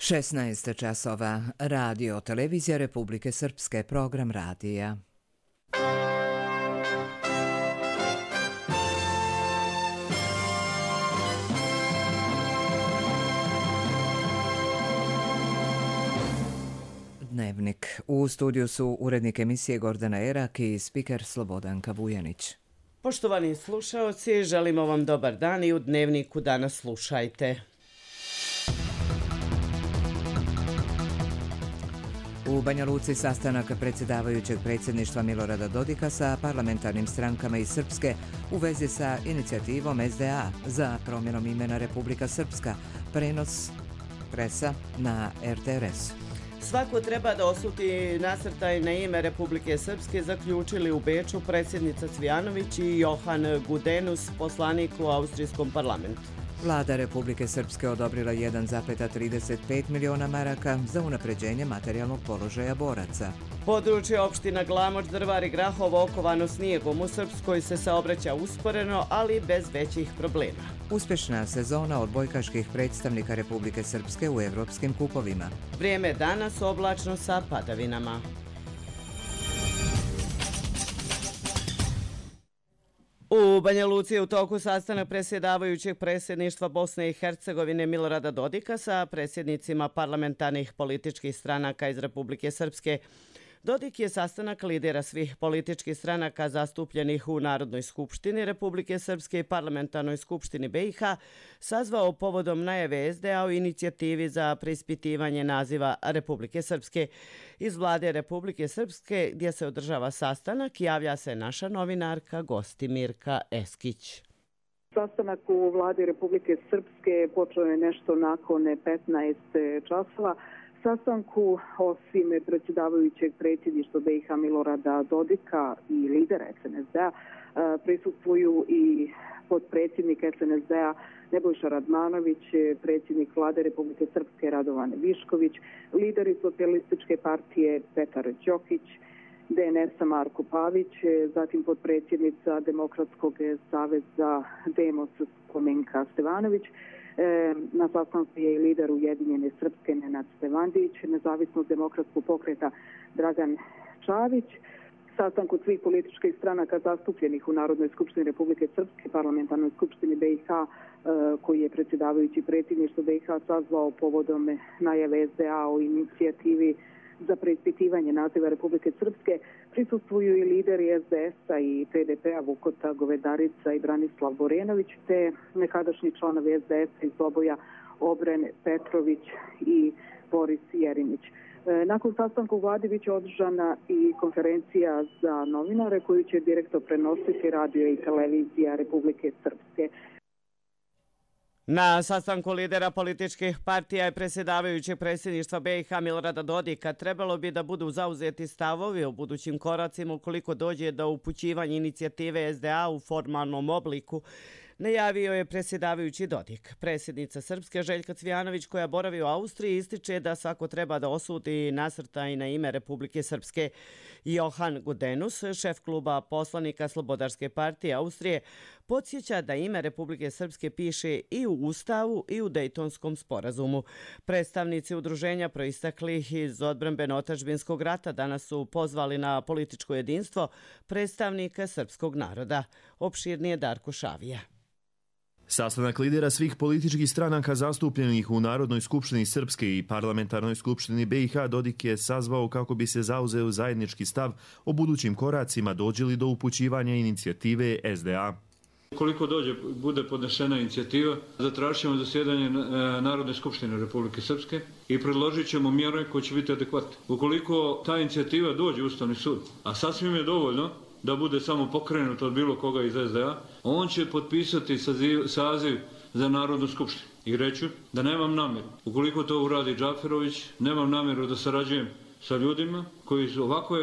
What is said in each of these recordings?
16 časova. Radio Televizija Republike Srpske, program radija. Dnevnik. U studiju su urednik emisije Gordana Erak i spiker Slobodanka Vujanić. Poštovani slušaoci, želimo vam dobar dan i u Dnevniku danas slušajte. U Banja Luci sastanak predsjedavajućeg predsjedništva Milorada Dodika sa parlamentarnim strankama iz Srpske u vezi sa inicijativom SDA za promjenom imena Republika Srpska, prenos presa na RTRS. Svako treba da osuti nasrtaj na ime Republike Srpske, zaključili u Beču predsjednica Cvijanović i Johan Gudenus, poslanik u Austrijskom parlamentu. Vlada Republike Srpske odobrila 1,35 miliona maraka za unapređenje materijalnog položaja boraca. Područje opština Glamoč, Drvar i Grahovo okovano snijegom. U Srpskoj se saobraća usporeno, ali bez većih problema. Uspješna sezona odbojkaških predstavnika Republike Srpske u evropskim kupovima. Vrijeme danas oblačno sa padavinama. U Banja Luci je u toku sastanak predsjedavajućeg predsjedništva Bosne i Hercegovine Milorada Dodika sa predsjednicima parlamentarnih političkih stranaka iz Republike Srpske. Dodik je sastanak lidera svih političkih stranaka zastupljenih u Narodnoj skupštini Republike Srpske i Parlamentarnoj skupštini BiH sazvao povodom najave SDA o inicijativi za preispitivanje naziva Republike Srpske. Iz vlade Republike Srpske gdje se održava sastanak javlja se naša novinarka Gostimirka Eskić. Sastanak u vladi Republike Srpske počeo je nešto nakon 15 časova. Sastanku, osim predsjedavajućeg predsjedništva BiH Milorada Dodika i lidera SNSD-a, prisustvuju i potpredsjednik SNSD-a Nebojša Radmanović, predsjednik vlade Republike Srpske Radovan Višković, lideri socijalističke partije Petar Đokić, DNS-a Marko Pavić, zatim potpredsjednica Demokratskog saveza Demos Spomenka Stevanović. Na sastanku je i lider Ujedinjene Srpske Nenad Stevandić, nezavisnog demokratskog pokreta Dragan Čavić. Sastanku svih političkih stranaka zastupljenih u Narodnoj skupštini Republike Srpske, Parlamentarnoj skupštini BiH, koji je predsjedavajući predsjedništvo BiH sazvao povodom najave SDA o inicijativi za preispitivanje naziva Republike Srpske, prisustvuju i lideri SDS-a i PDP-a Vukota Govedarica i Branislav Borenović, te nekadašnji članovi SDS-a iz oboja Obren Petrović i Boris Jerinić. Nakon sastanka u vladi biće održana i konferencija za novinare koju će direktno prenositi radio i televizija Republike Srpske. Na sastanku lidera političkih partija i predsjedavajućeg predsjedništva BiH Milorada Dodika trebalo bi da budu zauzeti stavovi o budućim koracima ukoliko dođe do upućivanja inicijative SDA u formalnom obliku, najavio je predsjedavajući Dodik. Predsjednica Srpske Željka Cvijanović, koja boravi u Austriji, ističe da svako treba da osudi nasrtaj na ime Republike Srpske. Johan Gudenus, šef kluba poslanika Slobodarske partije Austrije, podsjeća da ime Republike Srpske piše i u Ustavu i u Dejtonskom sporazumu. Predstavnici udruženja proistaklih iz odbrambeno-otadžbinskog rata danas su pozvali na političko jedinstvo predstavnika srpskog naroda. Opširnije Darko Šavija. Sastanak lidera svih političkih stranaka zastupljenih u Narodnoj skupštini Srpske i Parlamentarnoj skupštini BiH Dodik je sazvao kako bi se zauzeo zajednički stav o budućim koracima dođe li do upućivanja inicijative SDA. Ukoliko bude podnesena inicijativa, zatražit ćemo zasjedanje Narodne skupštine Republike Srpske i predložit ćemo mjere koje će biti adekvatne. Ukoliko ta inicijativa dođe u Ustavni sud, a sasvim je dovoljno da bude samo pokrenut od bilo koga iz SDA, on će potpisati saziv za Narodnu skupštinu. I reću da nemam namjeru, ukoliko to uradi Džaferović, nemam namjeru da sarađujem sa ljudima koji su ovako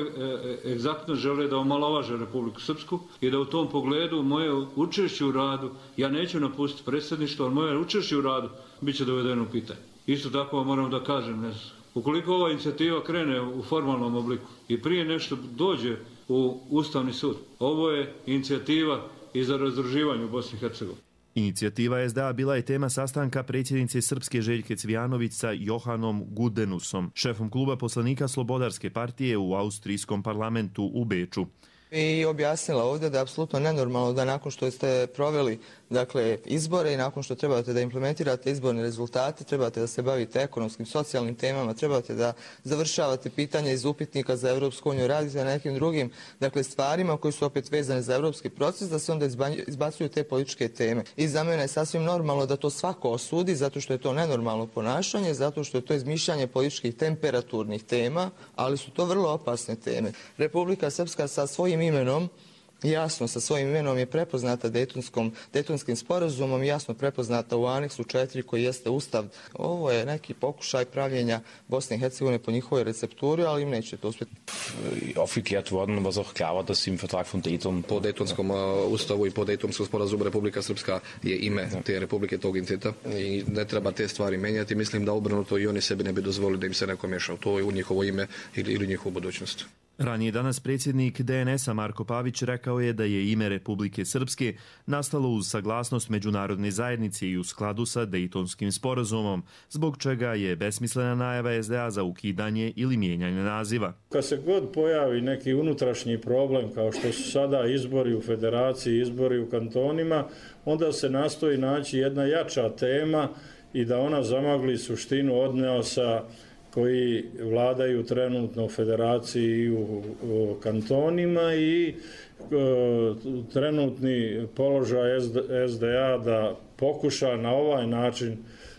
egzaktno žele da omalovaže Republiku Srpsku i da u tom pogledu moje učešće u radu, ja neću napustiti predsjedništvo, ali moje učešće u radu bit će dovedeno u pitanje. Isto tako moram da kažem, ukoliko ova inicijativa krene u formalnom obliku i prije nešto dođe u Ustavni sud, ovo je inicijativa i za razdruživanje u Bosni i Hercegovini. Inicijativa SDA bila je tema sastanka predsjednice Srpske Željke Cvijanović sa Johanom Gudenusom, šefom kluba poslanika Slobodarske partije u austrijskom parlamentu u Beču. I objasnila ovdje da je apsolutno nenormalno da nakon što ste proveli izbore i nakon što trebate da implementirate izborne rezultate, trebate da se bavite ekonomskim, socijalnim temama, trebate da završavate pitanja iz upitnika za Europsku uniju, radite na nekim drugim stvarima koji su opet vezane za europski proces, da se onda izbacuju te političke teme. I za mene je sasvim normalno da to svako osudi, zato što je to nenormalno ponašanje, zato što je to izmišljanje političkih temperaturnih tema, ali su to vrlo opasne teme. Republika Srpska sa svojim imenom, jasno sa svojim imenom je prepoznata Dejtonskim sporazumom, jasno prepoznata u aneksu 4 koji jeste ustav. Ovo je neki pokušaj pravljenja Bosne i Hercegovine po njihovoj recepturi, ali im neće to uspjeti. Aufgeklärt worden, was auch klar war, dass im Vertrag von Dayton po Dejtonskom ustavu i po Dejtonskom sporazumu Republika Srpska je ime te republike, tog entiteta i ne treba te stvari menjati. Mislim da obrnuto i oni sebi ne bi dozvolili da im se neko miješa u to u njihovo ime ili njihovu budućnost. Ranije danas predsjednik DNS-a Marko Pavić rekao je da je ime Republike Srpske nastalo uz saglasnost međunarodne zajednice i u skladu sa Dejtonskim sporazumom, zbog čega je besmislena najava SDA za ukidanje ili mijenjanje naziva. Kad se god pojavi neki unutrašnji problem, kao što su sada izbori u federaciji, izbori u kantonima, onda se nastoji naći jedna jača tema i da ona zamagli suštinu odnosa koji vladaju trenutno u federaciji i u kantonima i trenutni položaj SDA da pokuša na ovaj način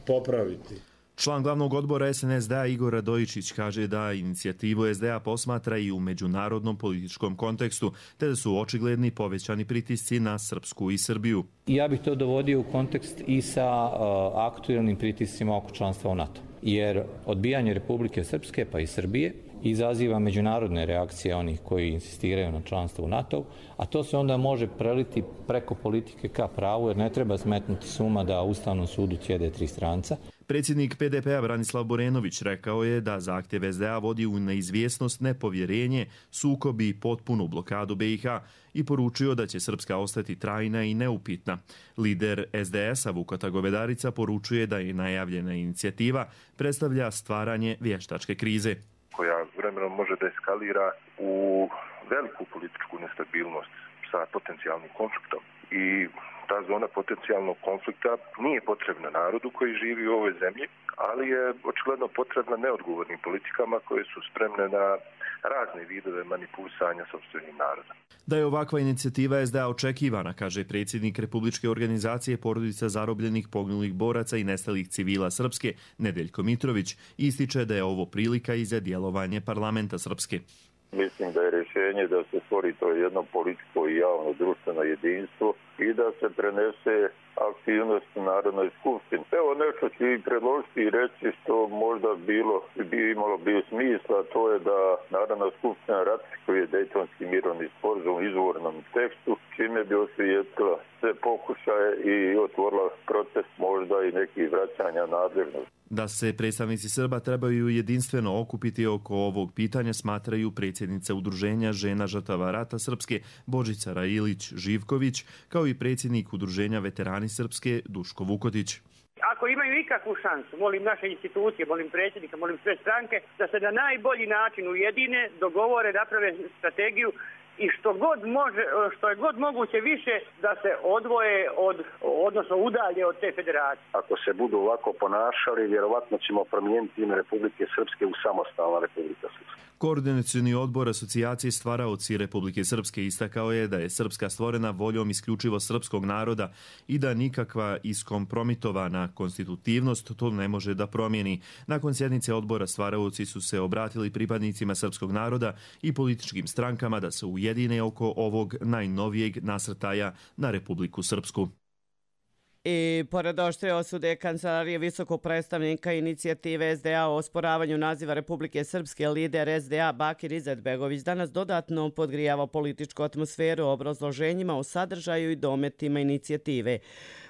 popraviti. Član glavnog odbora SNSD Igor Radojičić kaže da inicijativu SDA posmatra i u međunarodnom političkom kontekstu, te da su očigledni povećani pritisci na Srpsku i Srbiju. Ja bih to dovodio u kontekst i sa aktualnim pritiscima oko članstva u NATO. Jer odbijanje Republike Srpske pa i Srbije izaziva međunarodne reakcije onih koji insistiraju na članstvo u NATO, a to se onda može preliti preko politike ka pravu, jer ne treba smetnuti suma da u Ustavnom sudu sjede 3 stranca. Predsjednik PDP-a Branislav Borenović rekao je da zahtjev SDA vodi u neizvjesnost, nepovjerenje, sukob i potpunu blokadu BiH i poručio da će Srpska ostati trajna i neupitna. Lider SDS-a Vukata Govedarica poručuje da je najavljena inicijativa predstavlja stvaranje vještačke krize, koja vremenom može da eskalira u veliku političku nestabilnost sa potencijalnim konfliktom. I ta zona potencijalnog konflikta nije potrebna narodu koji živi u ovoj zemlji, ali je očigledno potrebna neodgovornim politikama koje su spremne na razne vidove manipulisanja sopstvenim narodom. Da je ovakva inicijativa SDA očekivana, kaže predsjednik Republičke organizacije porodica zarobljenih, poginulih boraca i nestalih civila Srpske, Nedeljko Mitrović, ističe da je ovo prilika i za djelovanje parlamenta Srpske. Mislim da je rješenje da se stvori to jedno političko i javno društveno jedinstvo i da se prenese aktivnost u Narodnoj skupštini. Evo nešto ću i predložiti i reći što možda bi imalo smisla, to je da Narodna skupština ratifikuje Dejtonski mirovni sporazum u izvornom tekstu, čime bi osvijetlila sve pokušaje i otvorila proces možda i nekih vraćanja nadležnosti. Da se predstavnici Srba trebaju jedinstveno okupiti oko ovog pitanja, smatraju predsjednica Udruženja žena žrtava rata Srpske Božica Railić-Živković, kao i predsjednik Udruženja veterani Srpske Duško Vukotić. Ako imaju ikakvu šansu, molim naše institucije, molim predsjednika, molim sve stranke, da se na najbolji način ujedine, dogovore, naprave strategiju i što je god moguće više da se odvoje odnosno udalje od te federacije. Ako se budu ovako ponašali, vjerovatno ćemo promijeniti ime Republike Srpske u samostalna Republika Srpska. Koordinacioni odbor asocijacije stvaraoci Republike Srpske istakao je da je Srpska stvorena voljom isključivo srpskog naroda i da nikakva iskompromitovana konstitutivnost to ne može da promijeni. Nakon sjednice odbora stvaraoci su se obratili pripadnicima srpskog naroda i političkim strankama da se ujedine oko ovog najnovijeg nasrtaja na Republiku Srpsku. I pored oštre osude Kancelarije visokog predstavnika inicijative SDA o osporavanju naziva Republike Srpske, lider SDA Bakir Izetbegović danas dodatno podgrijava političku atmosferu obrazloženjima o sadržaju i dometima inicijative.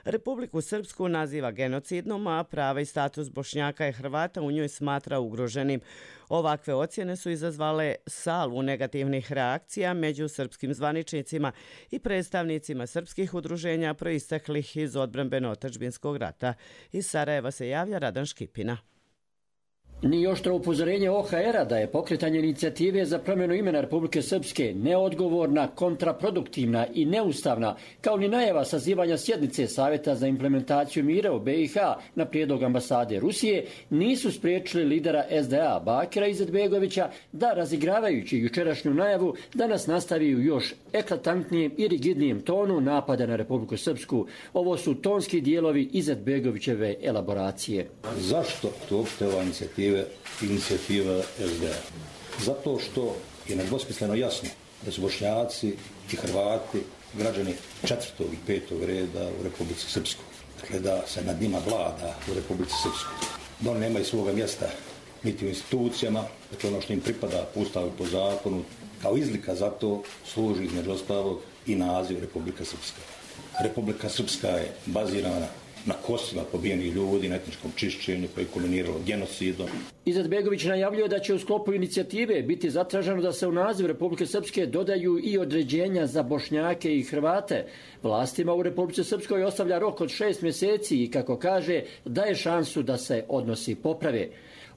Republiku Srpsku naziva genocidnom, a prava i status Bošnjaka i Hrvata u njoj smatra ugroženim. Ovakve ocjene su izazvale salvu negativnih reakcija među srpskim zvaničnicima i predstavnicima srpskih udruženja proisteklih iz odbrane odbrambeno-otadžbinskog rata. Iz Sarajeva se javlja Radan Škipina. Ni oštro upozorenje OHR-a da je pokretanje inicijative za promjenu imena Republike Srpske neodgovorna, kontraproduktivna i neustavna, kao ni najava sazivanja sjednice Savjeta za implementaciju mira u BiH na prijedlog ambasade Rusije, nisu spriječili lidera SDA Bakira Izetbegovića da, razigravajući jučerašnju najavu, danas nastavi u još eklatantnijem i rigidnijem tonu napada na Republiku Srpsku. Ovo su tonski dijelovi Izetbegovićeve elaboracije. Zašto to uopšte ova inicijativa SDA? Zato što je nedvosmisleno jasno da su Bošnjaci i Hrvati građani 4. i 5. reda u Republici Srpskoj. Dakle, da se nad njima vlada u Republici Srpskoj. Da oni nemaju svoga mjesta niti u institucijama, dakle ono što im pripada po ustavu i po zakonu, kao izlika za to služi između ostalog i naziv Republika Srpska. Republika Srpska je bazirana na kostima pobijenih ljudi, na etničkom čišćenju koje je kulminiralo genocidom. Izetbegović najavljuje da će u sklopu inicijative biti zatraženo da se u naziv Republike Srpske dodaju i određenja za Bošnjake i Hrvate. Vlastima u Republici Srpskoj ostavlja rok od 6 mjeseci i, kako kaže, daje šansu da se odnosi poprave.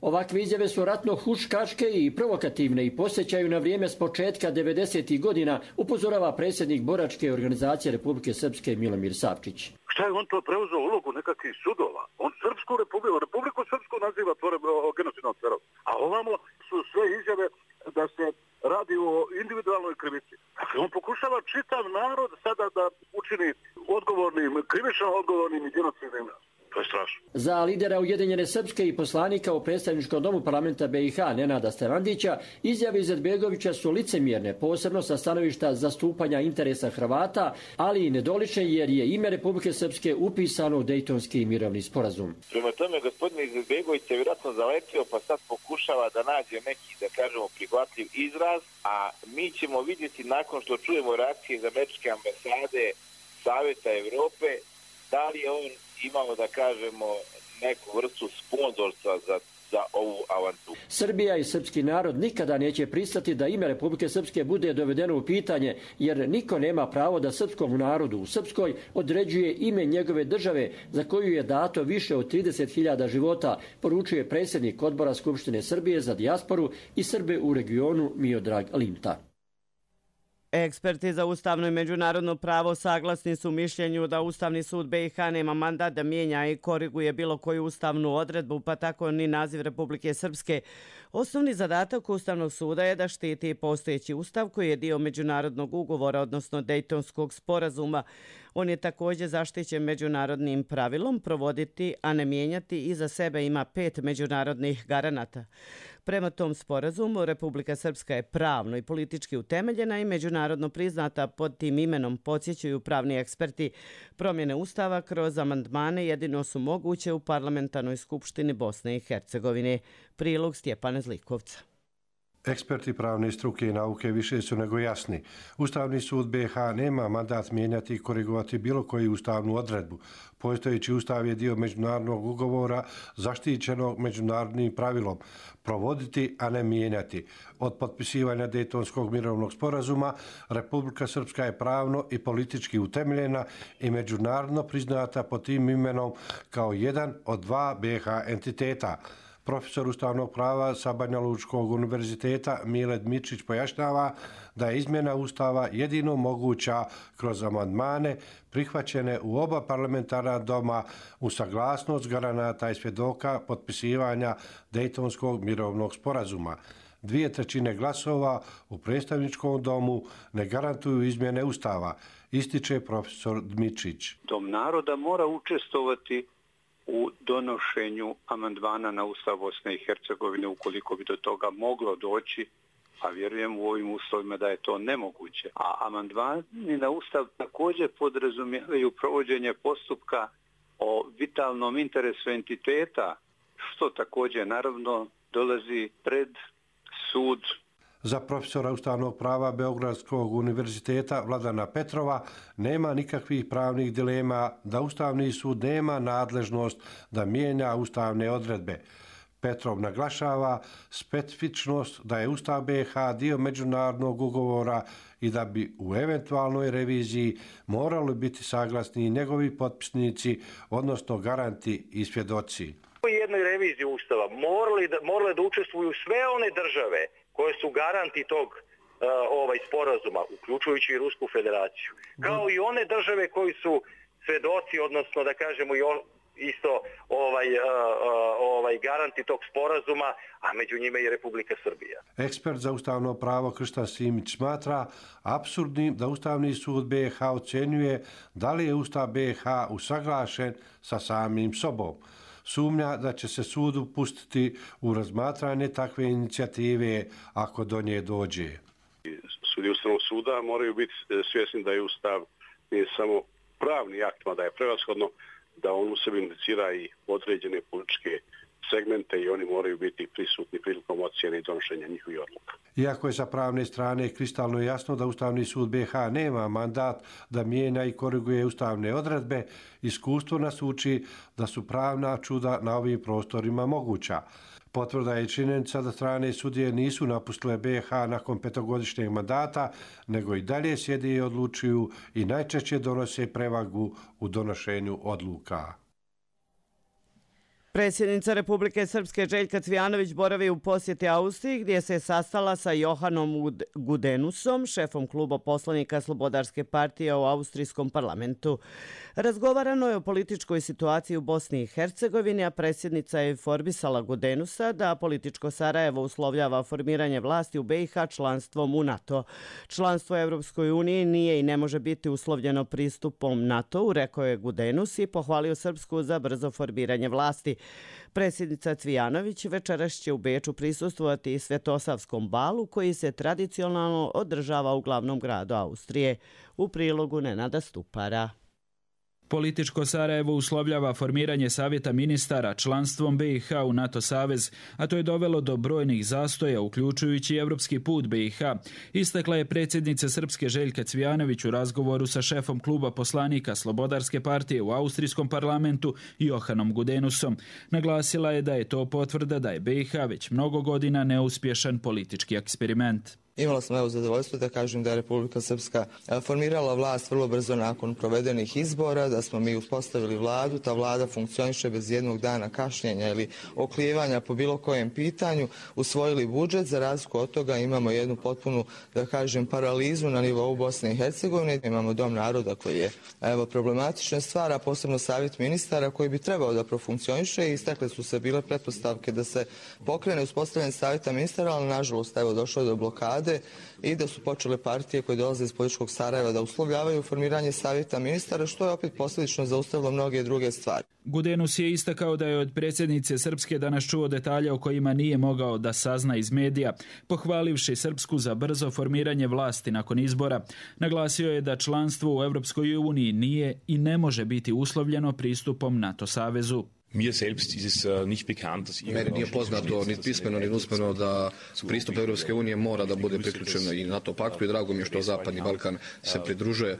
Ovakve izjave su ratno huškačke i provokativne i posjećaju na vrijeme s početka 90. godina, upozorava predsjednik boračke organizacije Republike Srpske Milomir Savčić. Šta je on to preuzeo ulogu nekakvih sudova? On Republiku Srpsku naziva genocidnom tvorevinom. A ovamo su sve izjave da se radi o individualnoj krivici. Dakle, on pokušava čitav narod sada da učini odgovornim, krivično odgovornim i genocidnim. To je strašno. Za lidera Ujedinjene Srpske i poslanika u predstavničkom domu parlamenta BiH Nenada Stevandića izjave Izetbegovića su licemjerne, posebno sa stanovišta zastupanja interesa Hrvata, ali i nedolične jer je ime Republike Srpske upisano u Dejtonski mirovni sporazum. Prema tome, gospodin Izetbegović se vjerojatno zaletio, pa sad pokušava da nađe neki, da kažemo, prihvatljiv izraz, a mi ćemo vidjeti nakon što čujemo reakcije iz američke ambasade Savjeta Evrope, da li je on imamo, da kažemo, neku vrstu sponzorstva za ovu avanturu. Srbija i srpski narod nikada neće pristati da ime Republike Srpske bude dovedeno u pitanje, jer niko nema pravo da srpskom narodu u Srpskoj određuje ime njegove države za koju je dato više od 30.000 života, poručuje predsjednik odbora Skupštine Srbije za dijasporu i Srbe u regionu Miodrag Linta. Eksperti za ustavno i međunarodno pravo saglasni su mišljenju da Ustavni sud BiH nema mandat da mijenja i koriguje bilo koju ustavnu odredbu, pa tako ni naziv Republike Srpske. Osnovni zadatak Ustavnog suda je da štiti postojeći ustav koji je dio međunarodnog ugovora, odnosno Dejtonskog sporazuma. On je također zaštićen međunarodnim pravilom provoditi, a ne mijenjati, i za sebe ima 5 međunarodnih garanata. Prema tom sporazumu, Republika Srpska je pravno i politički utemeljena i međunarodno priznata. Pod tim imenom, podsjećaju pravni eksperti, promjene ustava kroz amandmane jedino su moguće u Parlamentarnoj skupštini Bosne i Hercegovine. Prilog Stjepana Zlikovca. Eksperti pravne struke i nauke više su nego jasni. Ustavni sud BiH nema mandat mijenjati i korigovati bilo koju ustavnu odredbu. Postojeći ustav je dio međunarodnog ugovora zaštićenog međunarodnim pravilom. Provoditi, a ne mijenjati. Od potpisivanja Dejtonskog mirovnog sporazuma Republika Srpska je pravno i politički utemeljena i međunarodno priznata pod tim imenom kao jedan od 2 BiH entiteta. Profesor ustavnog prava sa Banja Lučkog univerziteta Mile Dmitrić pojašnjava da je izmjena ustava jedino moguća kroz amandmane prihvaćene u oba parlamentarna doma uz saglasnost garanata i svjedoka potpisivanja Dejtonskog mirovnog sporazuma. 2/3 glasova u predstavničkom domu ne garantuju izmjene ustava, ističe profesor Dmitrić. Dom naroda mora učestvovati u donošenju amandmana na Ustav Bosne i Hercegovine ukoliko bi do toga moglo doći, a vjerujem u ovim uslovima da je to nemoguće. A amandmani na Ustav također podrazumijevaju provođenje postupka o vitalnom interesu entiteta, što također naravno dolazi pred sud. Za profesora ustavnog prava Beogradskog univerziteta Vladana Petrova nema nikakvih pravnih dilema da Ustavni sud nema nadležnost da mijenja ustavne odredbe. Petrov naglašava specifičnost da je Ustav BiH dio međunarodnog ugovora i da bi u eventualnoj reviziji morali biti saglasni i njegovi potpisnici, odnosno garanti i svjedoci. U jednoj reviziji Ustava morale da učestvuju sve one države koje su garanti tog sporazuma, uključujući i Rusku federaciju, kao i one države koji su svjedoci, odnosno da kažemo isto garanti tog sporazuma, a među njima i Republika Srbija. Ekspert za ustavno pravo Kršta Simić smatra apsurdnim da Ustavni sud BiH ocjenjuje da li je Ustav BiH usaglašen sa samim sobom. Sumnja da će se sudu pustiti u razmatranje takve inicijative ako do nje dođe. Sudije Ustavnog suda moraju biti svjesni da je Ustav nije samo pravni akt, da je prevashodno da on u sebi indicira i određene političke segmente i oni moraju biti prisutni prilikom ocjene i donošenja njihovih odluka. Iako je sa pravne strane kristalno jasno da Ustavni sud BiH nema mandat da mijenja i koriguje ustavne odredbe, iskustvo nas uči da su pravna čuda na ovim prostorima moguća. Potvrda je činjenica da strane sudije nisu napustile BiH nakon 5-godišnjeg mandata, nego i dalje sjede i odlučuju i najčešće donose prevagu u donošenju odluka. Predsjednica Republike Srpske Željka Cvijanović boravi u posjeti Austriji gdje se sastala sa Johanom Gudenusom, šefom kluba poslanika Slobodarske partije u Austrijskom parlamentu. Razgovarano je o političkoj situaciji u Bosni i Hercegovini, a predsjednica je informisala Gudenusa da političko Sarajevo uslovljava formiranje vlasti u BiH članstvom u NATO. Članstvo u Europskoj uniji nije i ne može biti uslovljeno pristupom NATO-u, rekao je Gudenus i pohvalio Srpsku za brzo formiranje vlasti. Predsjednica Cvijanović večeras će u Beču prisustvovati i Svetosavskom balu koji se tradicionalno održava u glavnom gradu Austrije. U prilogu Nenada Stupara. Političko Sarajevo uslovljava formiranje savjeta ministara članstvom BiH u NATO savez, a to je dovelo do brojnih zastoja, uključujući evropski put BiH, istakla je predsjednica Srpske Željka Cvijanović u razgovoru sa šefom kluba poslanika Slobodarske partije u Austrijskom parlamentu Johanom Gudenusom. Naglasila je da je to potvrda da je BiH već mnogo godina neuspješan politički eksperiment. Imala sam zadovoljstvo da kažem da je Republika Srpska formirala vlast vrlo brzo nakon provedenih izbora, da smo mi uspostavili vladu, ta vlada funkcioniše bez jednog dana kašnjenja ili oklijevanja po bilo kojem pitanju, usvojili budžet, za razliku od toga imamo jednu potpunu, da kažem, paralizu na nivou Bosne i Hercegovine, imamo Dom naroda koji je problematična stvar, a posebno savjet ministara koji bi trebao da profunkcioniše i istakle su se bile pretpostavke da se pokrene uspostavljanje savjeta ministara, ali nažalost došlo je do blokade i da su počele partije koje dolaze iz političkog Sarajeva da uslovljavaju formiranje savjeta ministara, što je opet posljedično zaustavilo mnoge druge stvari. Gudenus je istakao da je od predsjednice Srpske danas čuo detalje o kojima nije mogao da sazna iz medija, pohvalivši Srpsku za brzo formiranje vlasti nakon izbora. Naglasio je da članstvo u Europskoj uniji nije i ne može biti uslovljeno pristupom NATO savezu. Meni nije poznato ni pismeno ni usmeno da pristup Europske unije mora da bude priključen i NATO paktu i drago mi je što Zapadni Balkan se pridružuje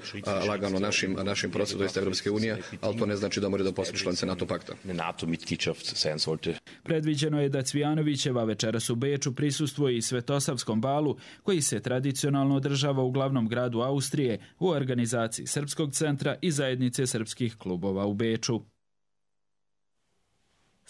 lagano našim procesu, to Europske unije, ali to ne znači da mora da postane članica NATO pakta. Predviđeno je da Cvijanovićeva večeras u Beču prisustvuje i Svetosavskom balu koji se tradicionalno održava u glavnom gradu Austrije u organizaciji Srpskog centra i zajednice srpskih klubova u Beču.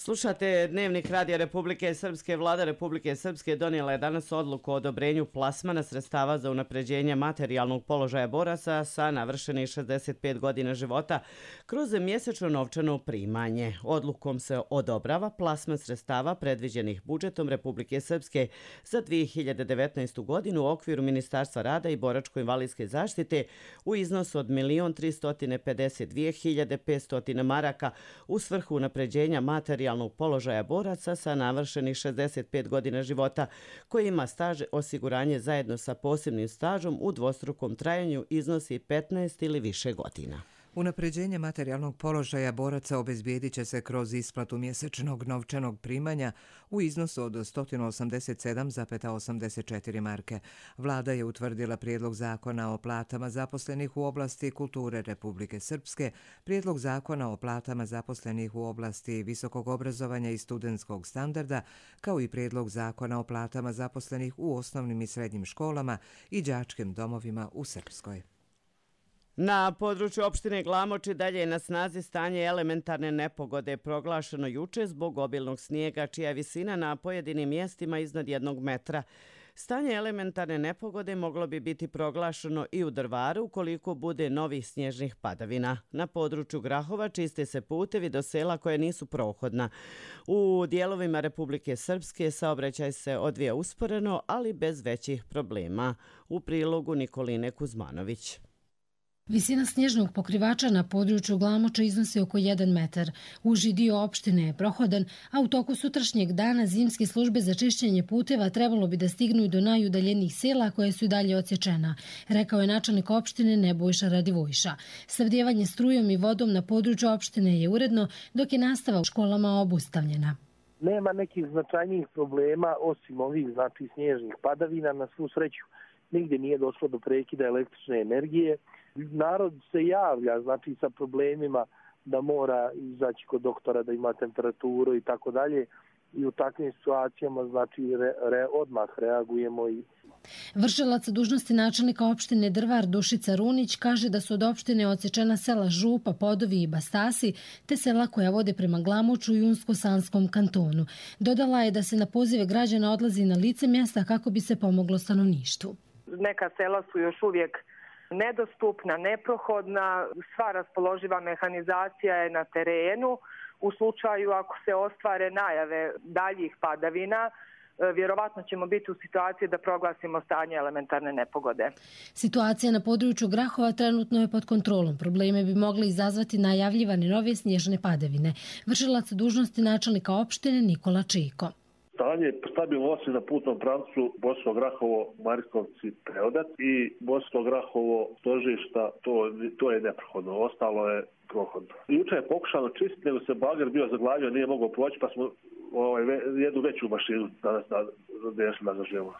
Slušate Dnevnik Radija Republike Srpske. Vlada Republike Srpske donijela je danas odluku o odobrenju plasmana sredstava za unapređenje materijalnog položaja boraca sa navršenih 65 godina života kroz mjesečno novčano primanje. Odlukom se odobrava plasman sredstava predviđenih budžetom Republike Srpske za 2019. godinu u okviru Ministarstva rada i boračko-invalidske zaštite u iznosu od 1.352.500 maraka u svrhu unapređenja materijalnog položaja boraca sa navršenih 65 godina života koji ima staž osiguranje zajedno sa posebnim stažom u dvostrukom trajanju iznosi 15 ili više godina. Unapređenje materijalnog položaja boraca obezbijedit će se kroz isplatu mjesečnog novčanog primanja u iznosu od 187,84 marke. Vlada je utvrdila prijedlog zakona o platama zaposlenih u oblasti kulture Republike Srpske, prijedlog zakona o platama zaposlenih u oblasti visokog obrazovanja i studentskog standarda, kao i prijedlog zakona o platama zaposlenih u osnovnim i srednjim školama i đačkim domovima u Srpskoj. Na području opštine Glamoč dalje je na snazi stanje elementarne nepogode proglašeno juče zbog obilnog snijega, čija je visina na pojedinim mjestima iznad 1 metra. Stanje elementarne nepogode moglo bi biti proglašeno i u Drvaru ukoliko bude novih snježnih padavina. Na području Grahova čiste se putevi do sela koje nisu prohodna. U dijelovima Republike Srpske saobraćaj se odvija usporeno, ali bez većih problema. U prilogu Nikoline Kuzmanović. Visina snježnog pokrivača na području Glamoča iznosi oko 1 metar. Uži dio opštine je prohodan, a u toku sutrašnjeg dana zimske službe za čišćenje puteva trebalo bi da stignu i do najudaljenijih sela koje su i dalje odsječena, rekao je načelnik opštine Nebojša Radivojša. Snabdijevanje strujom i vodom na području opštine je uredno, dok je nastava u školama obustavljena. Nema nekih značajnijih problema osim ovih snježnih padavina. Na svu sreću nigdje nije došlo do prekida električne energije. Narod se javlja sa problemima da mora izaći kod doktora, da ima temperaturu i tako dalje. I u takvim situacijama odmah reagujemo. Vršilac dužnosti načelnika opštine Drvar Dušica Runić kaže da su od opštine odsječena sela Župa, Podovi i Bastasi, te sela koja vode prema Glamoču i Unsko-Sanskom kantonu. Dodala je da se na pozive građana odlazi na lice mjesta kako bi se pomoglo stanovništvu. Neka sela su još uvijek nedostupna, neprohodna, sva raspoloživa mehanizacija je na terenu. U slučaju ako se ostvare najave daljih padavina, vjerovatno ćemo biti u situaciji da proglasimo stanje elementarne nepogode. Situacija na području Grahova trenutno je pod kontrolom. Probleme bi mogli izazvati najavljivane nove snježne padavine. Vršilac dužnosti načelnika opštine Nikola Čiko. Stanje stabilno osim na putnom pravcu Bosansko Grahovo, Mariskovci, Preodat i Bosansko Grahovo, Stožišta, to je neprohodno, ostalo je prohodno. Juče je pokušano čistiti, nego se bager bio zaglavio, nije mogao proći, pa smo jednu veću mašinu danas nazažemo.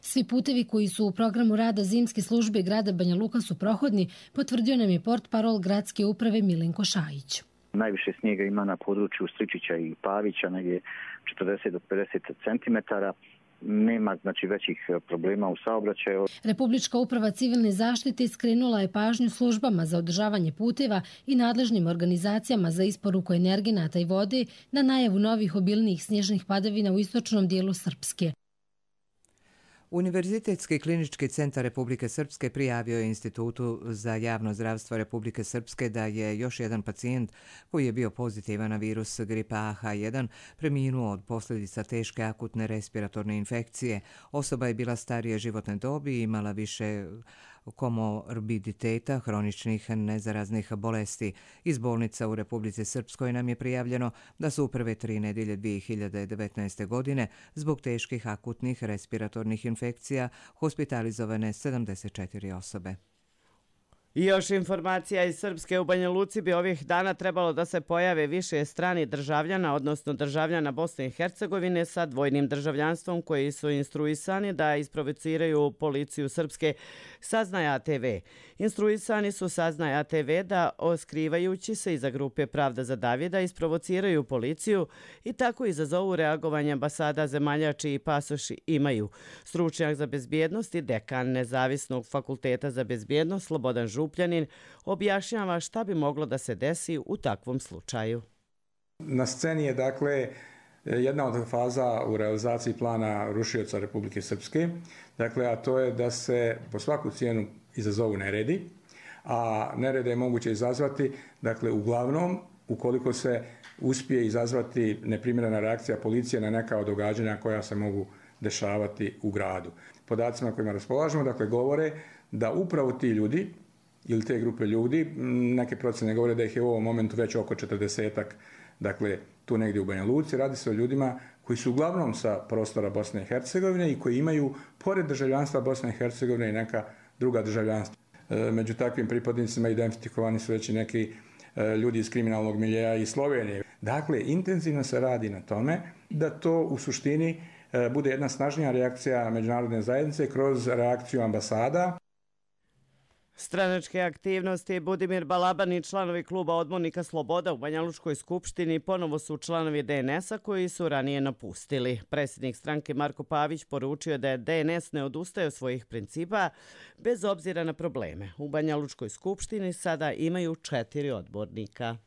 Svi putevi koji su u programu rada zimske službe grada Banja Luka su prohodni, potvrdio nam je portparol gradske uprave Milenko Šajić. Najviše snijega ima na području Stričića i Pavića, negdje 40 do 50 cm. Nema većih problema u saobraćaju. Republička uprava civilne zaštite skrenula je pažnju službama za održavanje puteva i nadležnim organizacijama za isporuku energenata i vode na najavu novih obilnijih snježnih padavina u istočnom dijelu Srpske. Univerzitetski klinički centar Republike Srpske prijavio je Institutu za javno zdravstvo Republike Srpske da je još jedan pacijent koji je bio pozitivan na virus gripa AH1 preminuo od posljedica teške akutne respiratorne infekcije. Osoba je bila starije životne dobi i imala više komorbiditeta, hroničnih nezaraznih bolesti. Iz bolnica u Republici Srpskoj nam je prijavljeno da su u prve 3 nedjelje 2019. godine zbog teških akutnih respiratornih infekcija hospitalizovane 74 osobe. I još informacija iz Srpske. U Banja Luci bi ovih dana trebalo da se pojave više strani državljana, odnosno državljana Bosne i Hercegovine sa dvojnim državljanstvom koji su instruisani da isprovociraju policiju Srpske, saznaje ATV. Instruisani su, saznaje ATV, da oskrivajući se iza grupe Pravda za Davida isprovociraju policiju i tako izazovu reagovanje ambasada zemalja čiji pasoši imaju. Stručnjak za bezbjednost i dekan Nezavisnog fakulteta za bezbjednost Slobodan Župljanin objašnjava šta bi moglo da se desi u takvom slučaju. Na sceni je jedna od faza u realizaciji plana rušioca Republike Srpske, a to je da se po svaku cijenu izazovu neredi, a nerede je moguće izazvati, uglavnom ukoliko se uspije izazvati neprimjerena reakcija policije na neka od događanja koja se mogu dešavati u gradu. Podacima kojima raspolažemo, govore da upravo ti ljudi ili te grupe ljudi, neke procjene govore da ih je u ovom momentu već oko 40-ak, tu negdje u Banja Luci. Radi se o ljudima koji su uglavnom sa prostora Bosne i Hercegovine i koji imaju, pored državljanstva Bosne i Hercegovine, i neka druga državljanstva. Među takvim pripadnicima identifikovani su već i neki ljudi iz kriminalnog miljeja iz Slovenije. Dakle, intenzivno se radi na tome da to u suštini bude jedna snažnija reakcija međunarodne zajednice kroz reakciju ambasada. Stranačke aktivnosti Budimir Balaban i članovi kluba odbornika Sloboda u Banjalučkoj skupštini ponovo su članovi DNS-a koji su ranije napustili. Predsjednik stranke Marko Pavić poručio da je DNS ne odustaje od svojih principa bez obzira na probleme. U Banjalučkoj skupštini sada imaju 4 odbornika.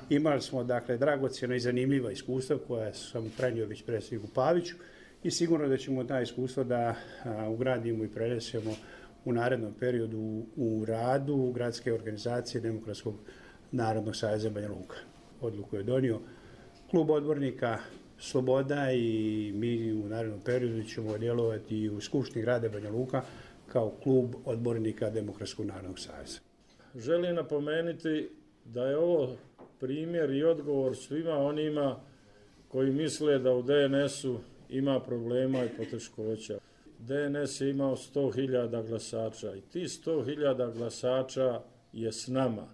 Imali smo dakle dragocjena i zanimljiva iskustva koja sam prenio već predsjedniku Paviću i sigurno da ćemo ta iskustva da ugradimo i prenesemo u narednom periodu u radu gradske organizacije Demokratskog narodnog saveza Banja Luka. Odluku je donio klub odbornika Sloboda i mi u narednom periodu ćemo djelovati u Skupštini grada Banja Luka kao klub odbornika Demokratskog narodnog saveza. Želim napomenuti da je ovo primjer i odgovor svima onima koji misle da u DNS-u ima problema i poteškoća. DNS je imao 100.000 glasača i ti 100.000 glasača je s nama.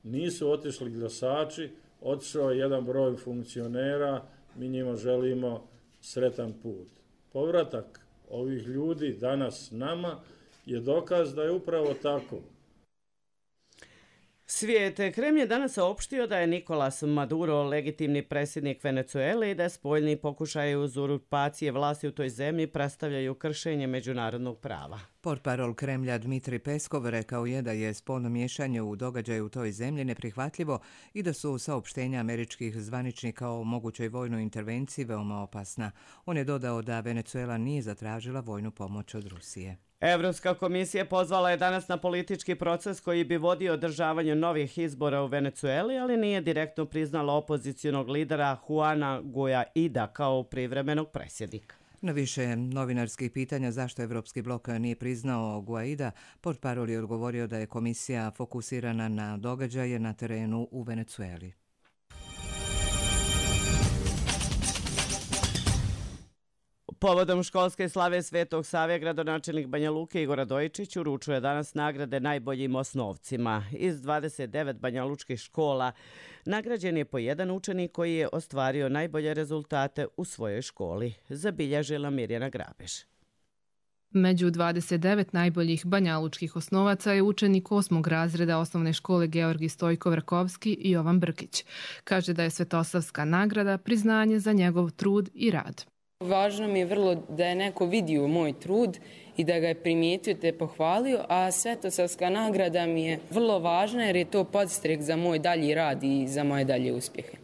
Nisu otišli glasači, otišao je jedan broj funkcionera, mi njima želimo sretan put. Povratak ovih ljudi danas nama je dokaz da je upravo tako. Svijet. Kreml je danas saopštio da je Nicolas Maduro legitimni predsjednik Venezuele i da spoljni pokušaji uzurpacije vlasti u toj zemlji predstavljaju kršenje međunarodnog prava. Portparol Kremlja Dmitri Peskov rekao je da je spolno miješanje u događaju u toj zemlji neprihvatljivo i da su saopštenja američkih zvaničnika o mogućoj vojnoj intervenciji veoma opasna. On je dodao da Venezuela nije zatražila vojnu pomoć od Rusije. Evropska komisija pozvala je danas na politički proces koji bi vodio održavanju novih izbora u Venezueli, ali nije direktno priznala opozicionog lidera Juana Guaida kao privremenog predsjednika. Na više novinarskih pitanja zašto Evropski blok nije priznao Guaida, portparol je odgovorio da je komisija fokusirana na događaje na terenu u Venezueli. Povodom školske slave Svetog Save, gradonačelnik Banja Luke Igor Radojičić uručuje danas nagrade najboljim osnovcima. Iz 29 banjalučkih škola nagrađen je po jedan učenik koji je ostvario najbolje rezultate u svojoj školi, zabilježila Mirjana Grabež. Među 29 najboljih banjalučkih osnovaca je učenik 8. razreda osnovne škole Georgi Stojko-Vrakovski i Jovan Brkić. Kaže da je Svetosavska nagrada priznanje za njegov trud i rad. Važno mi je vrlo da je neko vidio moj trud i da ga je primijetio te pohvalio, a Svetosavska nagrada mi je vrlo važna jer je to podstrek za moj dalji rad i za moje dalje uspjehe.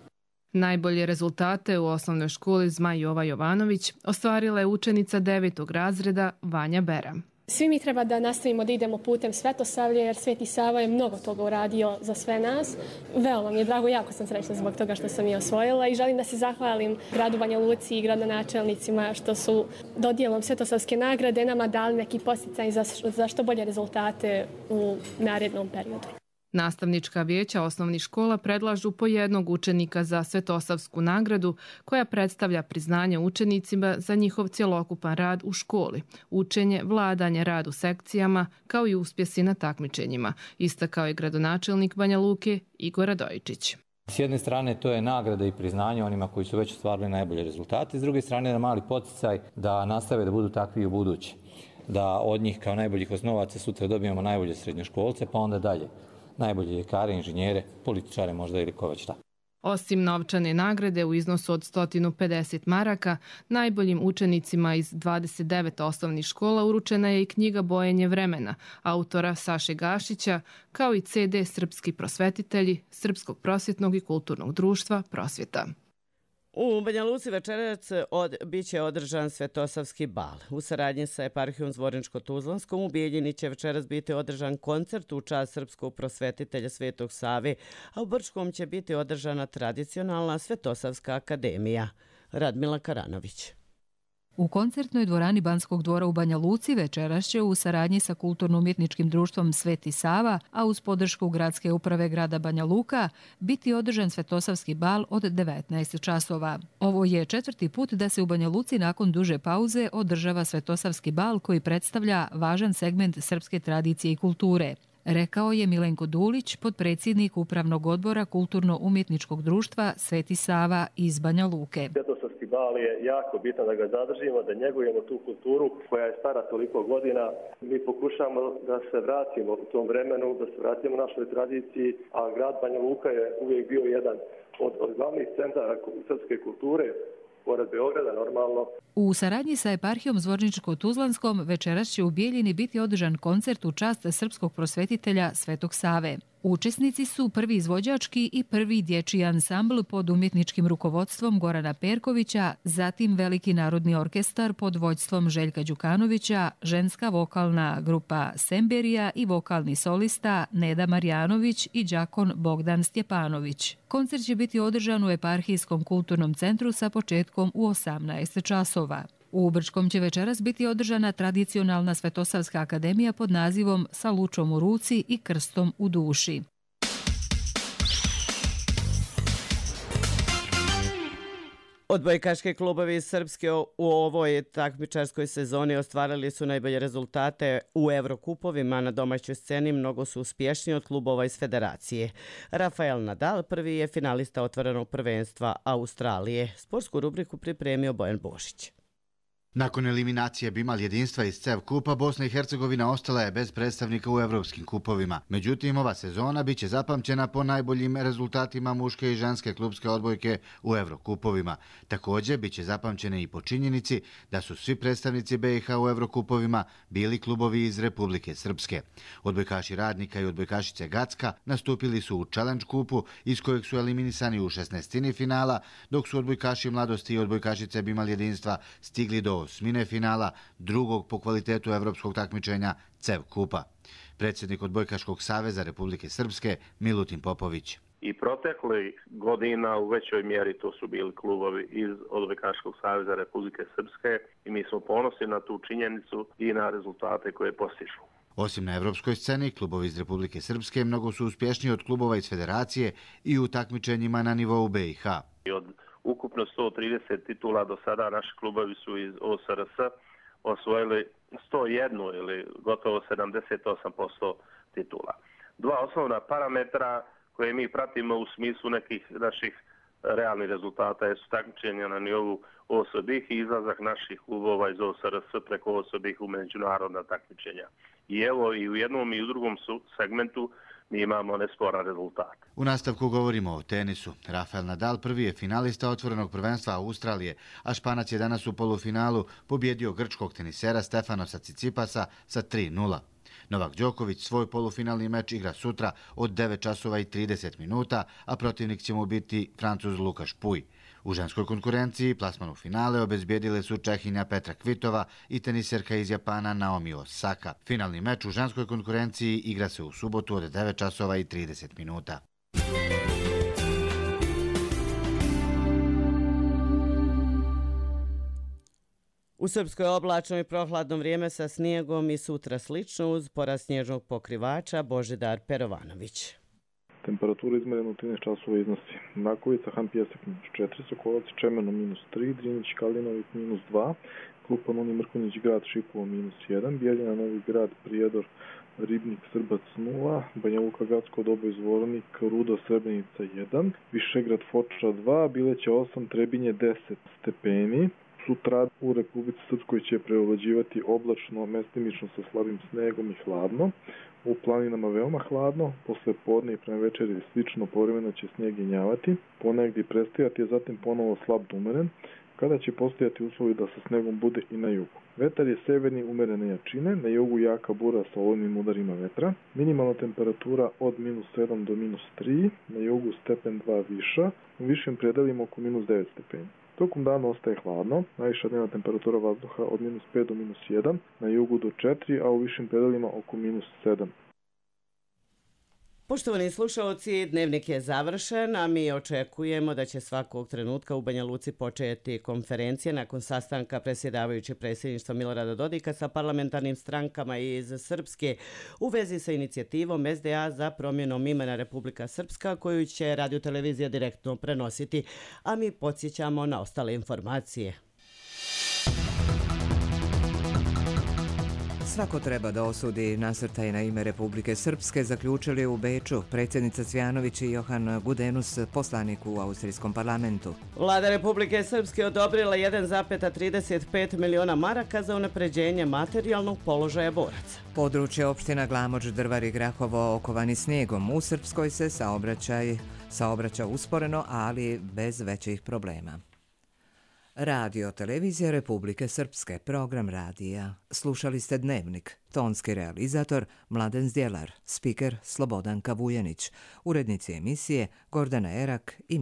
Najbolje rezultate u osnovnoj školi Zmaj Jova Jovanović ostvarila je učenica 9. razreda Vanja Bera. Svi mi treba da nastavimo da idemo putem Svetosavlja jer Sveti Sava je mnogo toga uradio za sve nas. Veoma mi je drago, jako sam srećna zbog toga što sam je osvojila i želim da se zahvalim gradu Banja Luci i gradonačelnicima što su dodjelom Svetosavske nagrade nama dali neki podsticaj za što bolje rezultate u narednom periodu. Nastavnička vijeća osnovnih škola predlažu po jednog učenika za Svetosavsku nagradu koja predstavlja priznanje učenicima za njihov cjelokupan rad u školi, učenje, vladanje, rad u sekcijama kao i uspjesi na takmičenjima, istakao je gradonačelnik Banja Luke Igor Radojičić. S jedne strane to je nagrada i priznanje onima koji su već ostvarili najbolje rezultate, s druge strane je mali poticaj da nastave da budu takvi u budući, da od njih kao najboljih osnovaca sutra dobijemo najbolje srednjoškolce pa onda dalje. Najbolje ljekare, inženjere, političare možda ili ko već šta. Osim novčane nagrade u iznosu od 150 maraka, najboljim učenicima iz 29 osnovnih škola uručena je i knjiga Bojenje vremena, autora Saše Gašića, kao i CD Srpski prosvetitelji Srpskog prosvjetnog i kulturnog društva Prosvjeta. U Banja Luci večerac biće održan Svetosavski bal. U saradnji sa eparhijom Zvorničko-Tuzlanskom u Bijeljini će večeras biti održan koncert u čast srpskog prosvetitelja Svetog Save, a u Brčkom će biti održana tradicionalna Svetosavska akademija. Radmila Karanović. U koncertnoj dvorani Banskog dvora u Banja Luci večeras će u saradnji sa Kulturno-umjetničkim društvom Sveti Sava, a uz podršku Gradske uprave grada Banja Luka, biti održan Svetosavski bal od 19 časova. Ovo je 4. put da se u Banja Luci nakon duže pauze održava Svetosavski bal koji predstavlja važan segment srpske tradicije i kulture. Rekao je Milenko Dulić, potpredsjednik Upravnog odbora Kulturno-umjetničkog društva Sveti Sava iz Banja Luke. Svetosavski bal je jako bitan da ga zadržimo, da njegujemo tu kulturu koja je stara toliko godina. Mi pokušamo da se vratimo u tom vremenu, da se vratimo našoj tradiciji, a grad Banja Luka je uvijek bio jedan od glavnih centara srpske kulture, pored Beograda normalno. U saradnji sa eparhijom Zvorničko-Tuzlanskom večeras će u Bijeljini biti održan koncert u čast srpskog prosvetitelja Svetog Save. Učesnici su prvi izvođački i prvi dječji ansambl pod umjetničkim rukovodstvom Gorana Perkovića, zatim Veliki narodni orkestar pod vođstvom Željka Đukanovića, ženska vokalna grupa Semberija i vokalni solista Neda Marjanović i đakon Bogdan Stjepanović. Koncert će biti održan u Eparhijskom kulturnom centru sa početkom u 18 časova. U Brčkom će večeras biti održana tradicionalna Svetosavska akademija pod nazivom Sa lučom u ruci i krstom u duši. Odbojkaški klubovi iz Srpske u ovoj takmičarskoj sezoni ostvarili su najbolje rezultate u Evrokupovima na domaćoj sceni, mnogo su uspješniji od klubova iz federacije. Rafael Nadal prvi je finalista otvorenog prvenstva Australije. Sportsku rubriku pripremio Bojan Bošić. Nakon eliminacije Bimal jedinstva iz CEV kupa, Bosna i Hercegovina ostala je bez predstavnika u evropskim kupovima. Međutim, ova sezona biće zapamćena po najboljim rezultatima muške i ženske klubske odbojke u Evrokupovima. Također, biće zapamćene i po činjenici da su svi predstavnici BiH u Evrokupovima bili klubovi iz Republike Srpske. Odbojkaši Radnika i odbojkašice Gacka nastupili su u Challenge kupu, iz kojeg su eliminisani u 16. finala, dok su odbojkaši Mladosti i odbojkašice Bimal jedinstva stigli do osmine finala, drugog po kvalitetu evropskog takmičenja CEV kupa. Predsjednik Odbojkaškog saveza Republike Srpske Milutin Popović. I protekli godina u većoj mjeri to su bili klubovi iz Odbojkaškog saveza Republike Srpske i mi smo ponosni na tu činjenicu i na rezultate koje postižu. Osim na evropskoj sceni, klubovi iz Republike Srpske mnogo su uspješniji od klubova iz federacije i u takmičenjima na nivou BiH. Od ukupno 130 titula do sada naši klubovi su iz OSRS osvojili 101 ili gotovo 78% titula. Dva osnovna parametra koje mi pratimo u smislu nekih naših realnih rezultata su takmičenja na nivou OSBih i izlazak naših klubova iz OSRS preko OSBih u međunarodna takmičenja. I evo i u jednom i u drugom segmentu mi imamo nesporan rezultat. U nastavku govorimo o tenisu. Rafael Nadal prvi je finalista otvorenog prvenstva Australije, a Španac je danas u polufinalu pobjedio grčkog tenisera Stefanosa Cicipasa sa 3:0. Novak Đoković svoj polufinalni meč igra sutra od 9 časova i 30 minuta, a protivnik će mu biti Francuz Lukaš Puj. U ženskoj konkurenciji plasman u finale obezbijedile su Čehinja Petra Kvitova i teniserka iz Japana Naomi Osaka. Finalni meč u ženskoj konkurenciji igra se u subotu od 9 časova i 30 minuta. U Srpskoj oblačno i prohladno vrijeme sa snijegom i sutra slično uz porast snježnog pokrivača. Božidar Perovanović. Temperatura izmjerena u 13 časova iznosi Nakovica, Han Pjesak -4, Sokolac, Čemeno -3, Drinić, Kalinović -2, Krupa, Noni, Mrkunić, Grad, Šipovo -1, Bijeljina, Novi Grad, Prijedor, Ribnik, Srbac 0, Banja Luka, Gacko, Doboj, Zvornik, Rudo, Srebrenica 1, Višegrad, Foča 2, Bileća 8, Trebinje 10 stepeni. Sutra u Republici Srpskoj će preovlađivati oblačno, mestimično sa slabim snegom i hladno. U planinama veoma hladno, posle podne i prema večeri slično povremeno će snijeg jenjavati, ponegdje prestajati, a zatim ponovo slab do umeren, kada će postojati uslovi da sa snegom bude i na jugu. Vetar je severni umerene jačine, na jugu jaka bura sa olujnim udarima vetra, minimalna temperatura od -7 do -3, na jugu stepen 2 viša, u višim predelima oko -9 stepeni. Tokom dana ostaje hladno, najviša dnevna temperatura vazduha od -5 do -1, na jugu do 4, a u višim predelima oko -7. Poštovani slušalci, dnevnik je završen, a mi očekujemo da će svakog trenutka u Banja Luci početi konferencija nakon sastanka predsjedavajućeg predsjedništva Milorada Dodika sa parlamentarnim strankama iz Srpske u vezi sa inicijativom SDA za promjenom imena Republika Srpska, koju će radiotelevizija direktno prenositi, a mi podsjećamo na ostale informacije. Svako treba da osudi nasrtaj na ime Republike Srpske, zaključili u Beču predsjednica Cvjanović i Johan Gudenus, poslanik u Austrijskom parlamentu. Vlada Republike Srpske odobrila 1,35 miliona maraka za unapređenje materijalnog položaja boraca. Područje opština Glamoč, Drvar i Grahovo okovani snijegom. U Srpskoj se saobraća usporeno, ali bez većih problema. Radio televizija Republike Srpske, program radija. Slušali ste Dnevnik, tonski realizator Mladen Zdjelar, spiker Slobodanka Vujanić, urednici emisije Gordana Erak i